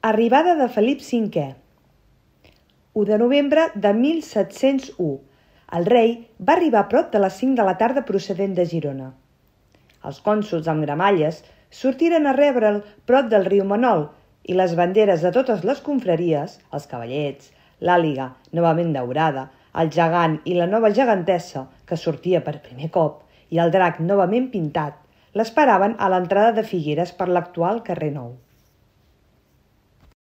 Arribada de Felip V. 1 de novembre de 1701. El rei va arribar a prop de les 5 de la tarda procedent de Girona. Els cònsols amb gramalles sortiren a rebre'l prop del riu Manol i les banderes de totes les confraries, els cavallets, l'àliga novament daurada, el gegant i la nova gegantessa, que sortia per primer cop, i el drac novament pintat, l'esperaven a l'entrada de Figueres per l'actual carrer Nou.